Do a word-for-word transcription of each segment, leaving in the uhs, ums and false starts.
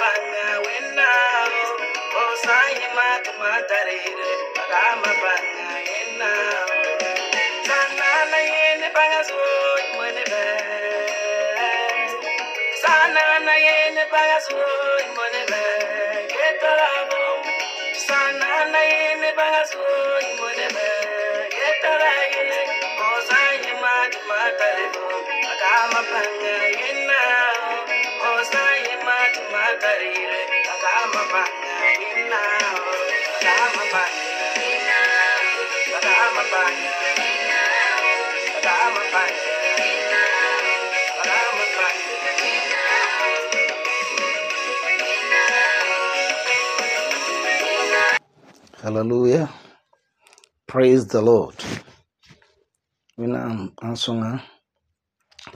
banga winna. Oh sai ma tumatarire. Agama banga winna. Sana na yene banga so imone be. Sana na yene banga so imone be. Getarabo. Sana na yene banga so imone be. Getaraye. Oh sai ma tumatarire. Agama banga winna. Oh sai ma tumatarire. Agama banga winna. Agama banga winna. Agama banga winna. Agama banga winna. Agama banga winna. Hallelujah. Praise the Lord. Mina ansonga.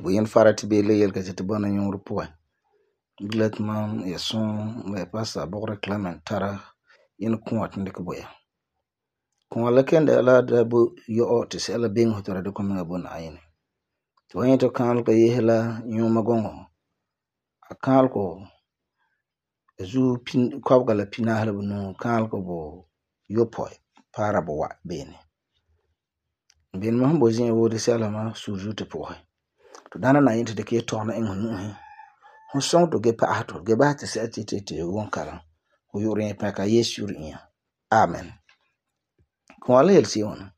Buyen farati bele yel ka jeti bana yung rupuwa. Bilet man yason me pasa bokre Clement tara yin kuwat ndik boya. Kuwa lekende ala da bu yo otis ala bing hotora de kominga bon ayine. Tuwanyi to kanal ka yehela yung magongo. Akal ko zu pin kwabga la pinahla bunu kanal ko bo yopoy para bo wa bene. Ben ma bo zin wo de sala ma suju te pohe. To dana na yinte de ke tona en hunu he. Hon song to ge pa ato ge ba te se ti te te won kala. Ho yore pa ka yesu ri. Amen. Ko ala yel si on.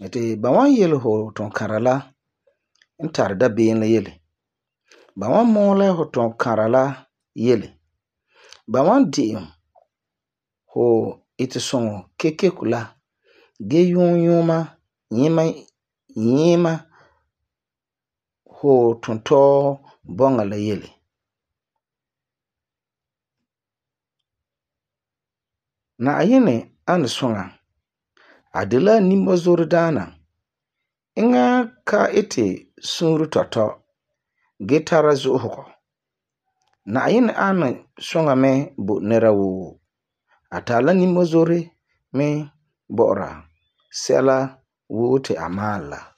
Ete ba wan yel ho ton karala entar da ben la yele. Ba wan mo la ho ton karala yele. Ba wan di ho ite songo keke kula ge yun yuma yima yima ho tonto bonga la yele. Na ayene an songa adela nimbo zordana inga ka ite sunru toto gitara zuhoko. Na ayene an songa me bu nerawu atala nimbo zore me bora sela wote amala.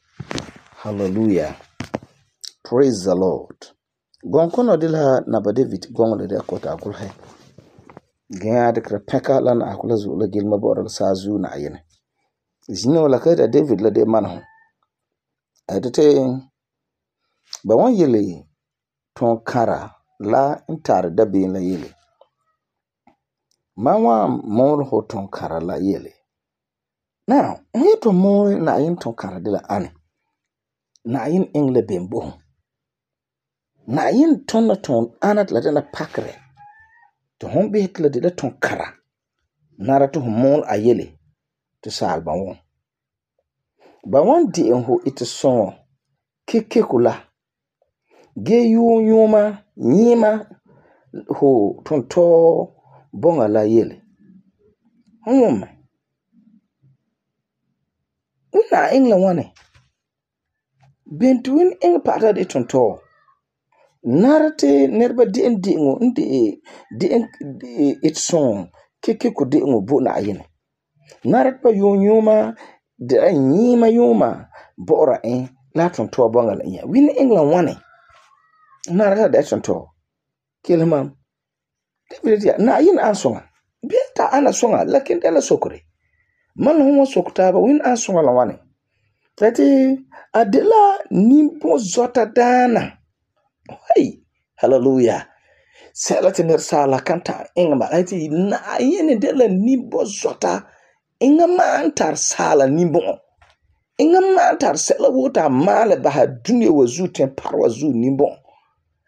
Hallelujah. Praise the Lord. Gonkono dila naba David gongole de kota akulhe. Gaya de kra peka lan akula zu la gilma bora sa zu na ayene. Zino la ka da David la de manho. Adete ba wan yele ton kara la intar da bin la yele. Mawa mor ho ton kara la yele. Now, we to more na yin ton kara de la ane. Na yin engle bembo. Na yin ton na ton anat la dena pakre. To hon be hitla de la ton kara. Nara to mol a yele. To sal ba won. Ba wan di en ho ite son. Keke kula. Ge yu yuma nyima ho ton to bonga la yele. Hon Una engla wane. Bentuin eng pata de tonto. Narate nerba di en di ngo ndi di en it song keke ko di ngo bo na ayene. Narat pa yonyuma de nyima yoma bora en la tonto bonga la nya. Win engla wane. Narata de tonto. Kilma. David na yin ansonga. Bienta ana songa lakin dela sokore. Man homo sokutaba win ansonga la wane. Tati adela nimpo zota dana. Hey, hallelujah. Sela tener sala kanta ingama. Ati na yene dela nimpo zota. Ingama antar sala nimpo. Ingama antar sela wota male baha dunia wazu ten parwa zu nimpo.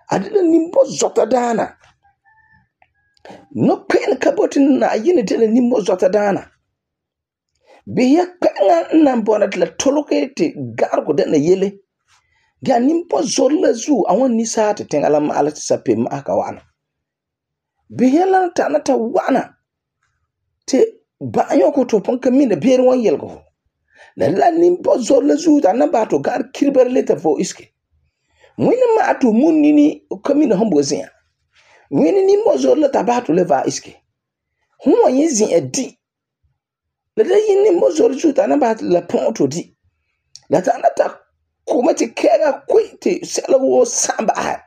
Adela nimpo zota dana. No pen kaboti na yene dela nimpo zota dana. Biya kanga nambona tla toloke te gargo dana yele. Ga nimpo zorla zu awan nisa te tengala maala te sape maaka wana. Biya lan tanata wana. Te banyo ko to ponka mina bere wan yelgo. La la nimpo zorla zu dana bato gar kirber leta fo iske. Mwene maatu munini kamina hombo zia. Mwene nimpo zorla tabato leva iske. Huwa yezi edi. La da yini mozor juta na ba la ponto di. La ta na ta kuma ti kega kwiti sela wo samba.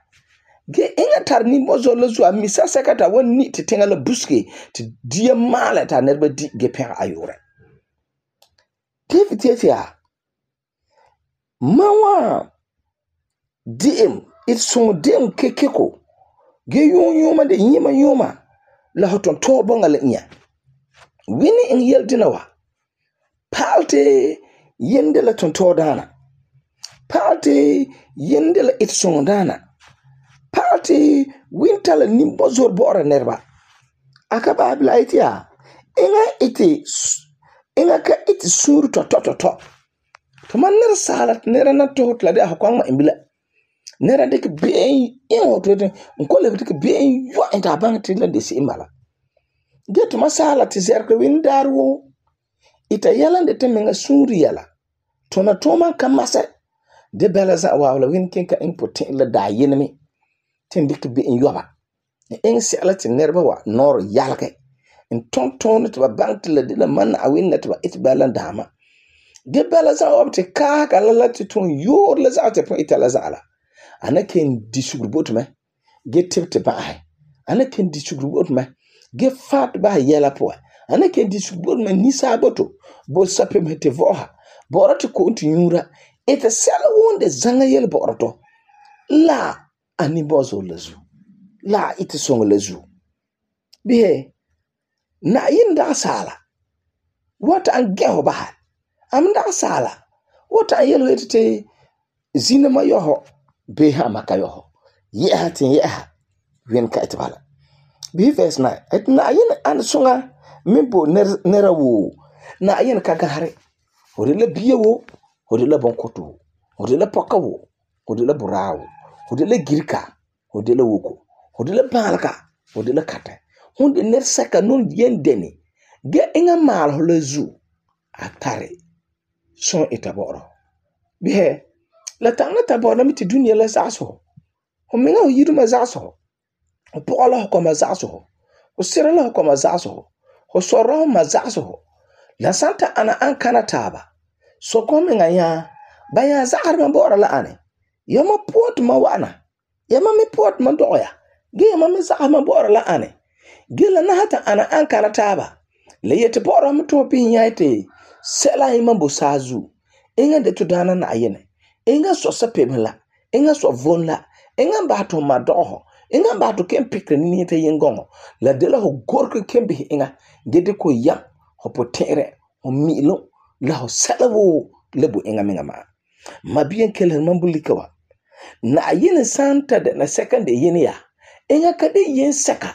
ge inga tar nimbo zor la zo a misa seka ta wan ni te tenga la buske te dia mala ta nerba di ge pega ayore. David ya mawa dim it so dim kekeko ge yon yoma de yima yoma la hoton to bonga la nya wini in yel dinawa palte yende la tonto dana palte yende la it so dana palte winter la nimbo zor bora nerba akaba bla itia inga iti inga ka iti suru to to to to to man ner salat ner na to hotla de akwang ma imbila ner de ke be en hoto de ko le de ke be yo enta bang tin la de si mala get ma salat zerke win darwo ita yalan de temenga suri yala to na to man kamase de belaza wawla win kin ka important la da yinmi tin de ke be en yoba en salat nerba wa nor yalke in ton ton to ba bank la de la man a win net ba it balan dama ge bala za opte ka ka la la ton yor la za te point la za ala ana ken di sugbot me ge tepte ba ai ana ken di sugbot me ge fat ba yela po ana ken di sugbot me ni saboto bo sape me te voha borate ko unti yura ete sala wonde zanga yel boroto la ani bozo lazu la ite songo lazu bihe na yinda sala wata an geho ba am da sala wata an yelo etete zina ma yoho be ha maka yoho ye hatin ye ha wen ka itbala bi verse nine et na yin an sunga mimbo ner nerawo na yin ka gare hore la biyewo hore la bonkoto hore la pokawo hore la burawo hore la girka hore la woko hore la balka hore la kata hunde ner saka non yen deni ge inga mal ho la zu atare son etaboro bihe la tanga taboro mi ti dunia la zaso ho menga ho yidu ma zaso ho pola ko ma zaso ho sira la ko ma zaso ho soro ma zaso la santa ana an kana taba so ko menga ya baya zakar ma boro la ane yama pot ma wana yama mi pot ma doya ge yama mi zakar ma boro la ane ge la na hata ana an kana taba le yete boro mi to pin yaite sela ima bo sazu inga de tudana na ayene inga so sapemla inga so vonla inga ba to madoho inga ba to kem pikre ni te yengongo la de la ho gorko kembe inga gede ko yam ho potere ho milo la ho salawo lebu inga menga ma mabien kelen mambulikawa na ayene santa de na second yene ya inga kade yen saka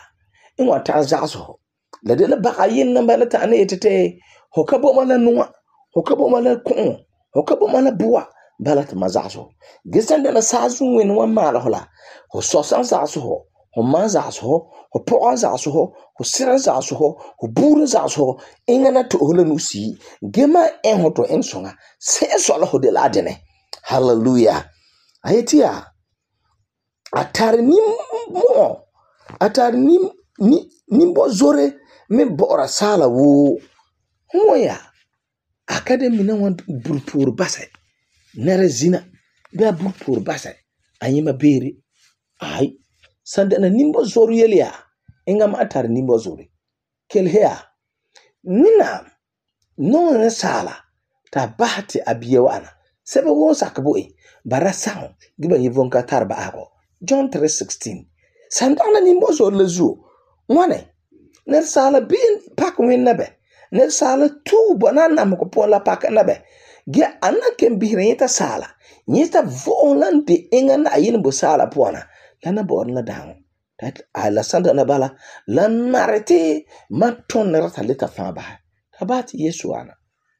inwa ta zazo la de la ba ayen namba la ta ne etete hokabo mala nuwa hokabo mala kun hokabo mala buwa balat mazaso gisanda la sazu wen wa mala hola ho sosan zaso ho ho mazaso ho poa zaso ho sira zaso ho buru zaso ingana to hola nusi gema en hoto en songa se so la ho de la dene hallelujah ayetia atar ni mo atar ni ni nimbo zore me bora sala wo moya academy na wan burpur basay nere zina ba burpur basay anyima bere ai sande na nimbo zoru yelia inga ma atar nimbo zori kel hea nina no na sala ta bahati abiye wana sebe wo sakbo e barasa giba yivonka tarba ako John three sixteen sandana nimbo zor lezu wane ner sala bin pak wen nabe ner sala tu banana mko pola pak nabe ge anakem bihreta sala nyita volante inga na yin bo sala pona lana bor la dang that ala sanda na bala la narete maton rata leta fa ba tabati yesu ana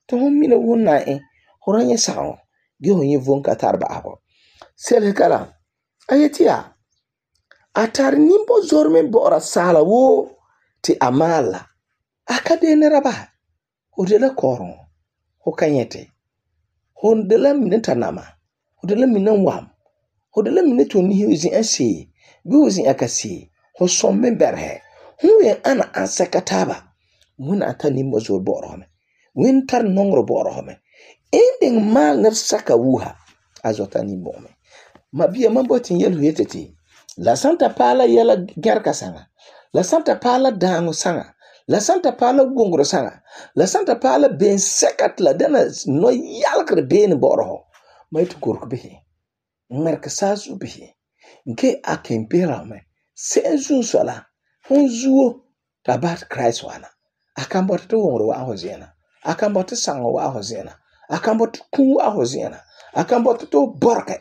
to homina wonna e horanye sawo ge honye vonka tarba abo sel kala ayetia atar nimbo zorme bora sala wo ti amala akade ne raba hodela koron ho kanyete hondela mineta nama hodela minan wam hodela mineto ni hizi ansi biuzi akasi ho somme berhe huwe ana ansekataba mun atani mozo borome winter nongro borome ending mal ner saka wuha azotani bome mabia mambotin yelu yeteti La santa pala yela gerka sanga. La santa pala daango sanga. La santa pala wongro sanga. La santa pala ben sekat la dena no yalkre ben boroho. Ma itu kork bihi. Merk sasu bihi. Nke aken pera me. Se zun sola. Hon zuo tabat Christ wana. Akan bota to wongro wa hozena. Akan bota sango wa hozena. Akan bota ku wa hozena. Akan bota to borke.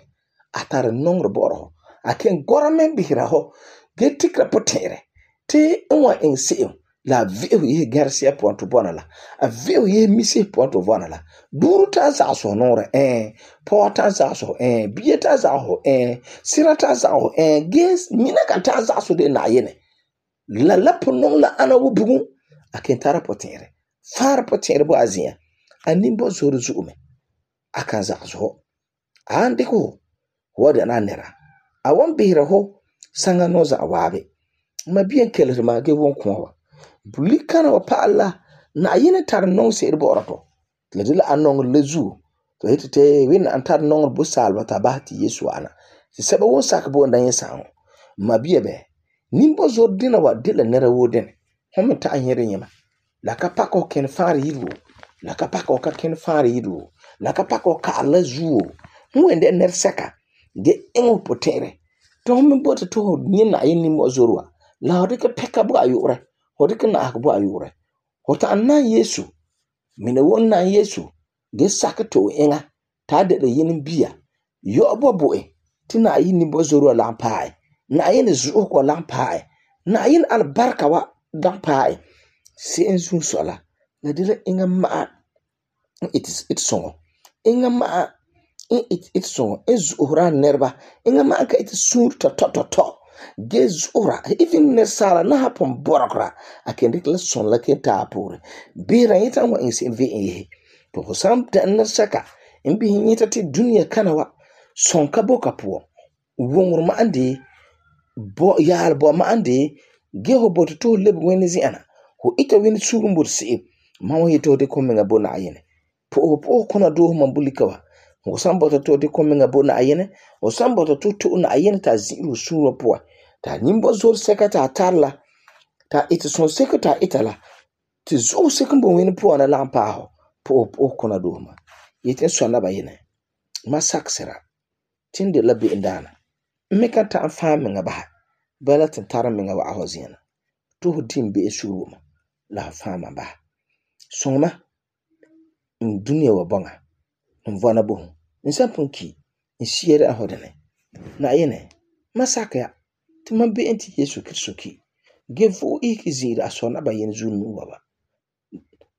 Atare nongro boroho. Aken goramen bihira ho. Ge tikra potere. Te nwa en se'em. La veo ye garcia ponto bona la. A veo ye misi ponto bona la. Duru ta zaso nore eh. Po ta zaso eh. Biye ta zaso eh. Sira ta zaso eh. Ges mina ka ta zaso de na yene. La la ponong la ana wo bugun. Aken tara potere. Far potere bo azia. Animbo zoro zuume. Akan zaso ho. Ande ko. Wada na nera. Awan bihira ho. Sanga noza awabe. Ma bien kelere ma ge won kwa. Bulikana wa pa'ala na yene tar nong se irbo orato. Le dila anong lezu. To hitete win antar nong bu salwa tabati Yesu ana. Si seba won sak bo ndanye sango. Ma biye be. Nimbo zor dina wa dila nera wo dene. Home ta anyere nyema. La kapako ken fari yidu. La kapako ka ken fari yidu. La kapako ka ala zuo. Mwende ner seka. Ge engo potere. To home bote to nyena yin nimbo zorwa. La hodike peka bu ayure. Hodike na akbu ayure. Hota anna Yesu. Mine won na Yesu. Ge sakato enga. Ta de yin biya. Yo bo boe. Tina yin nimbo zorwa lampae. Na yin zuo ko lampae. Na yin albarka wa lampae. Si enzu sola. Na dile enga maa. It is it songo. Enga maa. It it songo. Ezu uhra nerba. Enga maa ka it sur to to to to. Gezura, even Nesala na hapon borokra, a can declare son like a tapur. Be right and what is in V. To some ten saka, and being it at Dunia Kanawa, son kaboka poor. Wong Mandi, Bo Yal Bomandi, Geho bot to live Veneziana, who eat a win soon would see. Mamma he told the coming a bonayen. Po po conado mambulikawa. Or some butter to the coming a bonayene, or some butter to two nayenata zero sura poor. Ta nimbo zor sekata tarla. Ta iti son sekata itala. Ti zo sekumbo wini po na lampa ho. Po po kona doma. Yeten swana ba yene. Ma saksera. Tinde labi indana. Meka ta anfame nga baha. Bala tentara menga wa ahozina. Tuhu dimbe esuruma. La fama baha. Songma. Dunia wa bonga. Mvana bohu. Nsampunki. Nsiere ahodene. Na yene. Ma sakya. Timan be enti Yesu Kristo ki. Gevo iki zira asona ba yen zunu baba.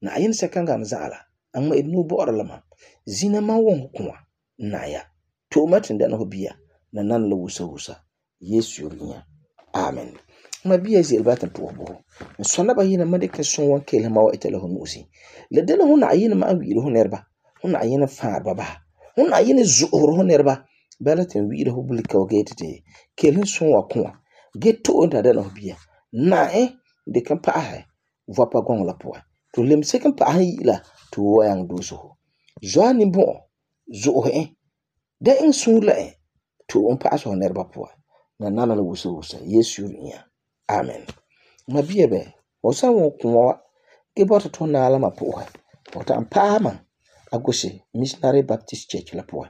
Na ayen sekanga na zala. Angma idnu bo oralama. Zina ma won kwa. Na ya. To matin dana hobia. Na nan la wusa wusa. Yesu yurinya. Amen. Ma biya zil batan to bo. Sona ba yen ma de keson wan kele ma wa itela honusi. Le dana hona ayen ma wi ho nerba. Hona ayen faar baba. Hona ayen zuhur ho nerba. Balatin wi ho bulika o getete. Kelin son wa kwa. Get to under the nobia. Na eh, de kan pa hai. Vapa gong la poa. To lim second pa hai la to wayang do so. Joani bo. Zo eh. De in sun la eh. To on pa so nerba poa. Na nana la wusa wusa. Yesu nya. Amen. Ma biye be. Osa won kwa. Ge bota to na ala ma poa. Bota ampa man. Agosi Missionary Baptist Church la poa.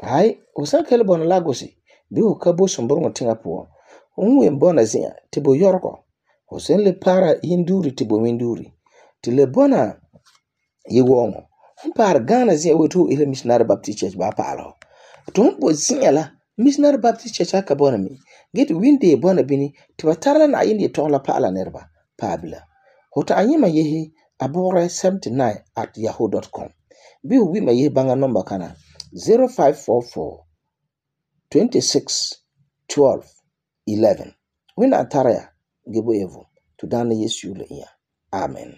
Hai, osa kele bona la gosi. Bi o ka bo somboro tinga poa. Unwe mbona zia, tibo yorko. Hosen le para hinduri tibo winduri. Tile bona ye wongo. Humpar Ghana zia wetu ile Missionary Baptist Church ba palo. Tumpo zia la, Missionary Baptist Church haka bona mi. Get winde bona bini, tiba tarla na indi tola pala nerba. Pabila. Hota anyima yehi, abore seventy-nine at yahoo dot com. Bi wima yehi banga number kana zero five four four, twenty-six, twelve, eleven. Wina antaraya gebo evo to dana Yesu le iya. Amen.